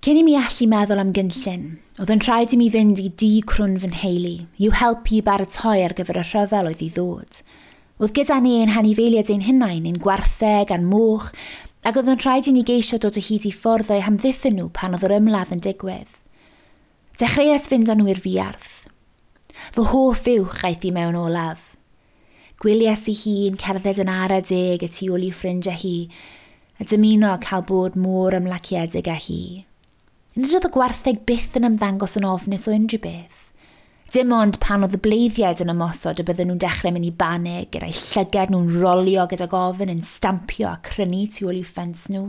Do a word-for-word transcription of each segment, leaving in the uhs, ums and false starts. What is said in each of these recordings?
Cyn i mi allu meddwl am gynllun, oedd yn rhaid i mi fynd i dŷ crwn fy nheulu, i'w helpu i baratoi ar gyfer y rhyfel oedd i ddod. Oedd gyda ni ein hanifeiliaid ein hunain, ein gwartheg a'n moch, ac oedd yn rhaid i ni geisio dod o hyd i ffordd o'u hamddiffyn nhw pan oedd yr ymladd yn digwydd. Dechreuais fynd â nhw i'r fuarth. Fy hoff fuwch aeth i mewn olaf. Gwyliais i hi'n cerdded yn ara deg y tu ôl i'w ffrindiau hi, a dymuno cael bod mor ymlaciedig â hi. Nid oedd y gwartheg byth yn ymddangos yn ofnus o unrhyw beth. Dim ond pan oedd y bleiddiaid yn ymosod y bydden nhw'n dechrau mynd i banig, gyda'i llygad nhw'n rolio gydag ofn yn stampio a crynu tu ôl i'w ffens nhw.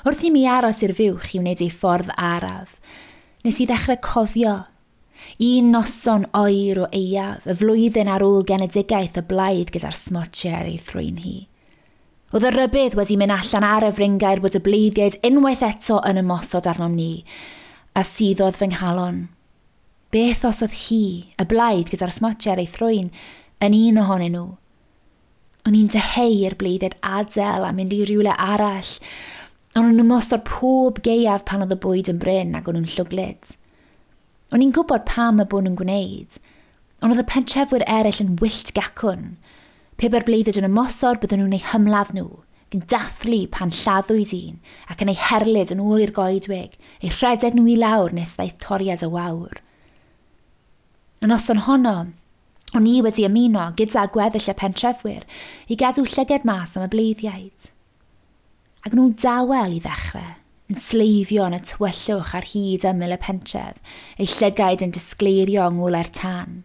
Wrth i mi aros i'r fuwch i wneud ei ffordd araf, nes i ddechrau cofio. Un noson oer o aeaf, y flwyddyn ar ôl genedigaeth y blaidd gyda'r smotiau ar ei thrwyn hi. Oedd y rybudd wedi mynd allan ar y fryngaer bod y bleiddiaid unwaith eto yn ymosod arnom ni, a suddodd fy nghalon. Beth os oedd hi, y blaidd gyda'r smotiau ar ei thrwyn, yn un ohonyn nhw? O'n i'n dyheu i'r bleiddiaid adael a mynd i rywle arall, ond o'n nhw'n ymosod pob gaeaf pan oedd y bwyd yn brin ac o'n nhw'n llwglyd. O'n i'n gwybod pam y bod nhw'n gwneud, ond oedd y pentrefwyr eraill yn wyllt gacwn. Pe bai'r bleiddiaid yn ymosod, bydden nhw'n eu hymladd nhw, yn dathlu pan lladdwyd un, ac yn eu herlid yn ôl i'r goedwig, eu rhedeg nhw i lawr nes ddaeth toriad y wawr. Y noson honno, o'n i wedi ymuno gyda gweddill y pentrefwyr i gadw llygad mas am y bleiddiaid. Ac nhw'n dawel i ddechrau, yn sleifio yn y tywyllwch ar hyd ymyl y pentref, eu llygaid yn disgleirio yng ngolau'r tân.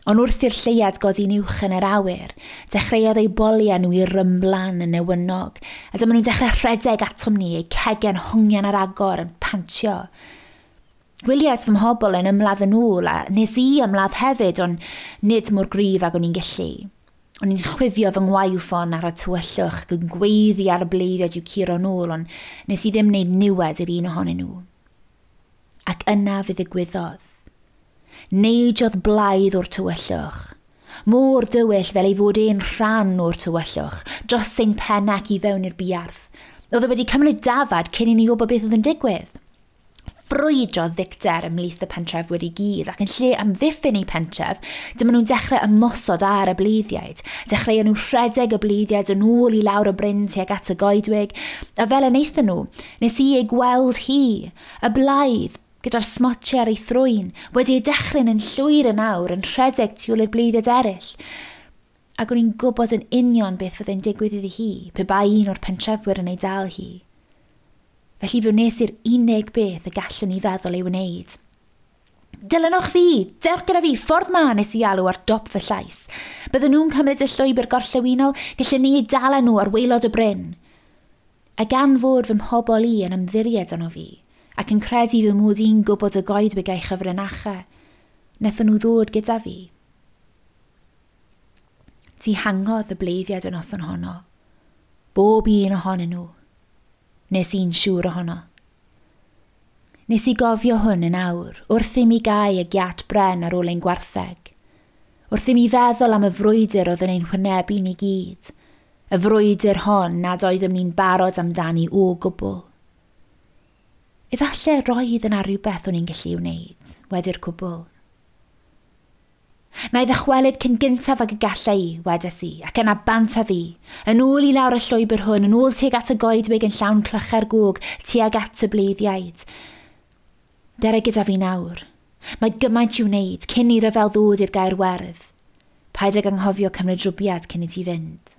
Ond wrth i'r lleuad godi'n uwch yn yr awyr, dechreuodd eu boliau nhw i rymblan yn newynog, a dyma nhw'n dechrau rhedeg atom ni, eu cegau'n hongian ar agor yn pantio. Gwyliais fy mhobl yn ymladd yn ôl, a nes i ymladd hefyd, ond nid mor gryf ag o'n i'n gallu. O'n i'n chwifio fy ngwaywffon ar y tywyllwch ac yn gweiddi ar y bleiddiaid i'w curo nôl, ond nes i ddim wneud niwed i'r un ohonyn nhw. Ac yna fe ddigwyddodd. Neidiodd blaidd o'r tywyllwch. Mor dywyll fel ei fod e'n rhan o'r tywyllwch, dros ein pen ac i fewn i'r buarth. Oedd e wedi cymryd dafad cyn i ni wybod beth oedd yn digwydd. Ffrwydrodd ddicter ymhlith y pentrefwyr i gyd, ac yn lle amddiffyn eu pentref, dyma nhw'n dechrau ymosod ar y bleiddiaid. Dechreuon nhw rhedeg y bleiddiaid yn ôl i lawr y bryn tuag at y goedwig, a fel y wnaethon nhw, nes i ei gweld hi, y blaidd, gyda'r smotiau ar ei thrwyn, wedi ei dechryn yn llwyr yn awr, yn rhedeg tu ôl i'r bleiddiaid eraill. Ac o'n i'n gwybod yn union beth fyddai'n digwydd iddi hi, pe bai un o'r pentrefwyr yn ei dal hi. Felly fe wnes i'r unig beth y gallwn i feddwl ei wneud. Dilynwch fi! Dewch gyda fi! Ffordd ma nes i alw ar dop fy llais. Bydden nhw'n cymryd y llwybr gorllewinol, gallwn ni eu dala nhw ar waelod y bryn. A gan fod fy mhobl i yn ymddiried yno fi, ac yn credu fy mod i'n gwybod y goedwig a'i chyfrinachau, wnaethon nhw ddod gyda fi. Dihangodd y bleiddiaid y noson honno. Bob un ohonyn nhw. Nes i'n siŵr ohono. Nes i gofio hwn yn awr, wrth i mi gau y giat bren ar ôl ein gwartheg. Wrth i mi feddwl am y frwydr oedd yn ein hwynebu ni gyd. Y frwydr hon nad oeddem ni'n barod amdani o gwbl. Efallai roedd yna rhywbeth o'n i'n gallu wneud, wedi'r cwbl. Na i ddychwelyd cyn gyntaf ag y galla i, wedes i, ac yna bant â fi. Yn ôl i lawr y llwybr hwn, yn ôl tuag at y goedwig yn llawn clychau'r gog, tuag at y bleiddiaid. Dere gyda fi nawr. Mae gymaint i'w wneud cyn i ryfel ddod i'r Gaer Werdd. Paid ag anghofio cymryd rwbiad cyn i ti fynd.